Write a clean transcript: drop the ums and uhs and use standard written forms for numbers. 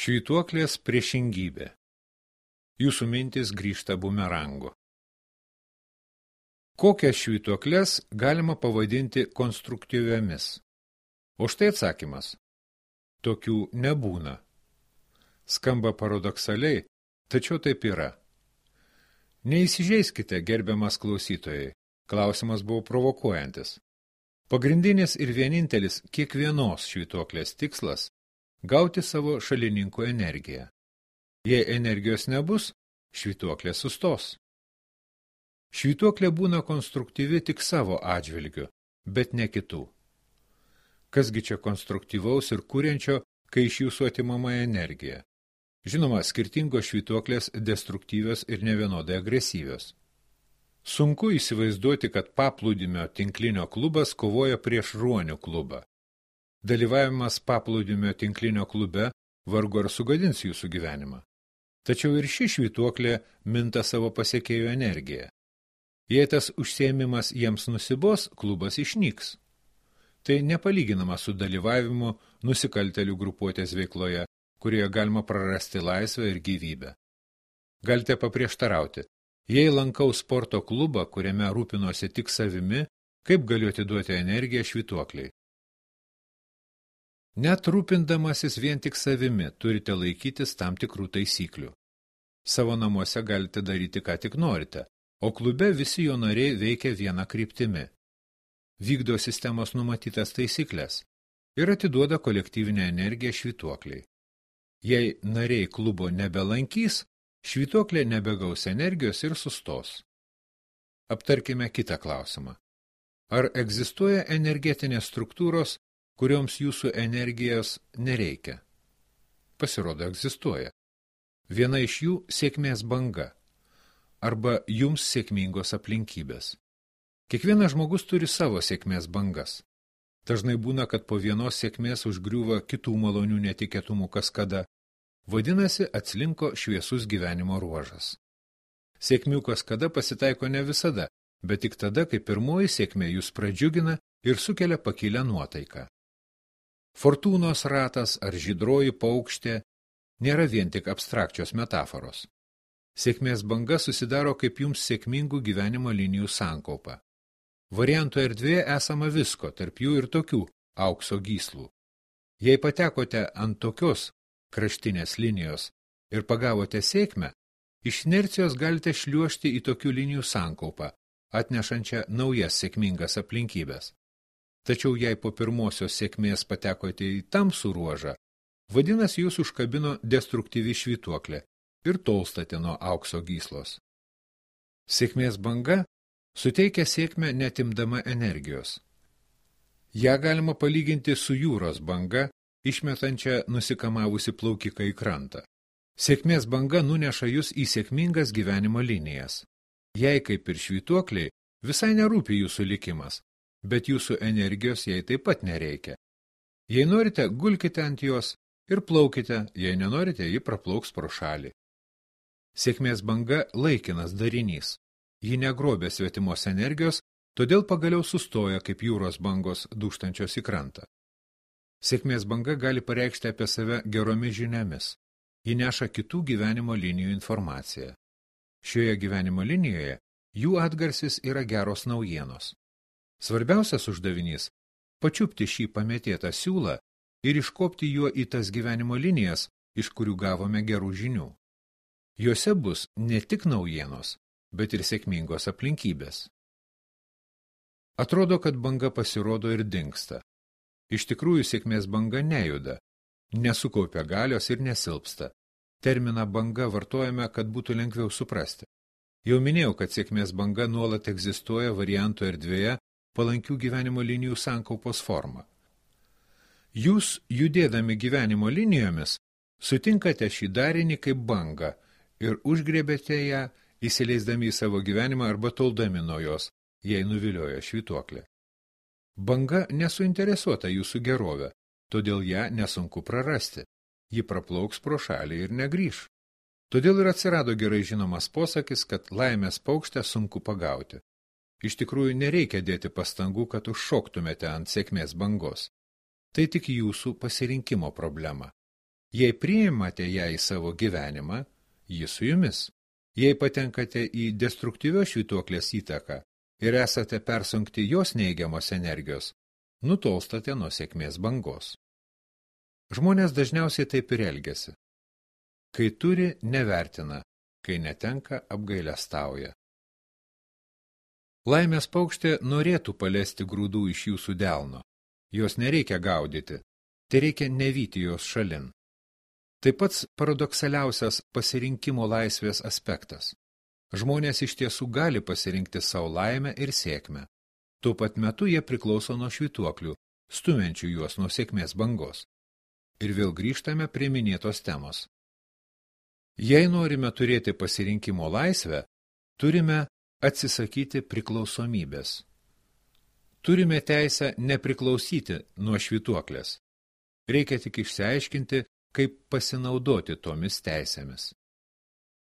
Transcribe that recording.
Švytuoklės priešingybė. Jūsų mintis grįžta bumerangu. Kokias švytuoklės galima pavadinti konstruktyviomis? O štai atsakymas. Tokių nebūna. Skamba paradoksaliai, tačiau taip yra. Neįsižeiskite, gerbiamas klausytojai. Klausimas buvo provokuojantis. Pagrindinis ir vienintelis kiekvienos švytuoklės tikslas – gauti savo šalininkų energiją. Jei energijos nebus, švytuoklė sustos. Švytuoklė būna konstruktyvi tik savo atžvilgiu, bet ne kitų. Kasgi čia konstruktyvaus ir kuriančio, kai iš jūsų atimama energija? Žinoma, skirtingos švytuoklės destruktyvios ir nevienodai agresyvios. Sunku įsivaizduoti, kad paplūdimio tinklinio klubas kovoja prieš ruonių klubą. Dalyvavimas paplūdimio tinklinio klube vargu ar sugadins jūsų gyvenimą. Tačiau ir ši švytuoklė minta savo pasiekėjų energiją. Jei tas užsiėmimas jiems nusibos, klubas išnyks. Tai nepalyginama su dalyvavimu nusikaltelių grupuotės veikloje, kurioje galima prarasti laisvę ir gyvybę. Galite paprieštarauti, jei lankau sporto klubą, kuriame rūpinosi tik savimi, kaip galiu atiduoti energiją švytuokliai? Net rūpindamasis vien tik savimi turite laikytis tam tikrų taisyklių. Savo namuose galite daryti, ką tik norite, o klube visi jo nariai veikia viena kryptimi. Vykdo sistemos numatytas taisyklės ir atiduoda kolektyvinę energiją švytuokliai. Jei nariai klubo nebelankys, švytuoklė nebegaus energijos ir sustos. Aptarkime kitą klausimą. Ar egzistuoja energetinės struktūros, kurioms jūsų energijos nereikia? Pasirodo, egzistuoja. Viena iš jų – sėkmės banga arba jums sėkmingos aplinkybės. Kiekvienas žmogus turi savo sėkmės bangas. Dažnai būna, kad po vienos sėkmės užgriūva kitų malonių netikėtumų kaskada. Vadinasi, atslinko šviesus gyvenimo ruožas. Sėkmių kaskada pasitaiko ne visada, bet tik tada, kai pirmoji sėkmė jūs pradžiugina ir sukelia pakilę nuotaiką. Fortūnos ratas ar žydroji paukštė nėra vien tik abstrakčios metaforos. Sėkmės banga susidaro kaip jums sėkmingų gyvenimo linijų sankaupa. Variantų erdvėje esama visko, tarp jų ir tokių aukso gyslų. Jei patekote ant tokios kraštinės linijos ir pagavote sėkmę, iš inercijos galite šliuožti į tokių linijų sankaupą, atnešančią naujas sėkmingas aplinkybės. Tačiau jei po pirmosios sėkmės patekote į tamsų ruožą, vadinasi jūs užkabino destruktyvi švytuoklė ir tolstate nuo aukso gyslos. Sėkmės banga suteikia sėkmę netimdama energijos. Ja galima palyginti su jūros banga, išmetančia nusikamavusi plaukiką į krantą. Sėkmės banga nuneša jūs į sėkmingas gyvenimo linijas. Jei kaip ir švytuokliai, visai nerūpi jūsų likimas, bet jūsų energijos jai taip pat nereikia. Jei norite, gulkite ant jos ir plaukite, jei nenorite, ji praplauks pro šalį. Sėkmės banga laikinas darinys. Ji negrobė svetimos energijos, todėl pagaliau sustoja kaip jūros bangos dūžtančios į krantą. Sėkmės banga gali pareikšti apie save geromis žiniomis. Ji neša kitų gyvenimo linijų informaciją. Šioje gyvenimo linijoje jų atgarsis yra geros naujienos. Svarbiausias uždavinys – pačiupti šį pamėtėtą siūlą ir iškopti juo į tas gyvenimo linijas, iš kurių gavome gerų žinių. Jose bus ne tik naujienos, bet ir sėkmingos aplinkybės. Atrodo, kad banga pasirodo ir dingsta. Iš tikrųjų, sėkmės banga nejuda, nesukaupia galios ir nesilpsta. Terminą banga vartojame, kad būtų lengviau suprasti. Jau minėjau, kad sėkmės banga nuolat egzistuoja variantų erdvėje palankių gyvenimo linijų sankaupos forma. Jūs, judėdami gyvenimo linijomis, sutinkate šį darinį kaip bangą ir užgriebėte ją, įsileisdami į savo gyvenimą arba toldami nuo jos, jei nuvilioja švytuoklė. Banga nesuinteresuota jūsų gerovę, todėl ją nesunku prarasti. Ji praplauks pro šalį ir negrįš. Todėl ir atsirado gerai žinomas posakis, kad laimės paukštę sunku pagauti. Iš tikrųjų nereikia dėti pastangų, kad užšoktumėte ant sėkmės bangos. Tai tik jūsų pasirinkimo problema. Jei priimate ją į savo gyvenimą, ji su jumis. Jei patenkate į destruktyvios švytuoklės įtaką ir esate persunkti jos neigiamos energijos, nutolstate nuo sėkmės bangos. Žmonės dažniausiai taip ir elgiasi. Kai turi, nevertina, kai netenka, apgailestauja. Laimės paukštė norėtų palesti grūdų iš jūsų delno. Jos nereikia gaudyti, tai reikia nevyti jos šalin. Tai pats paradoksaliausias pasirinkimo laisvės aspektas. Žmonės iš tiesų gali pasirinkti savo laimę ir sėkmę. Tuo pat metu jie priklauso nuo švytuoklių, stumiančių juos nuo sėkmės bangos. Ir vėl grįžtame prie minėtos temos. Jei norime turėti pasirinkimo laisvę, turime atsisakyti priklausomybės. Turime teisę nepriklausyti nuo švytuoklės. Reikia tik išsiaiškinti, kaip pasinaudoti tomis teisėmis.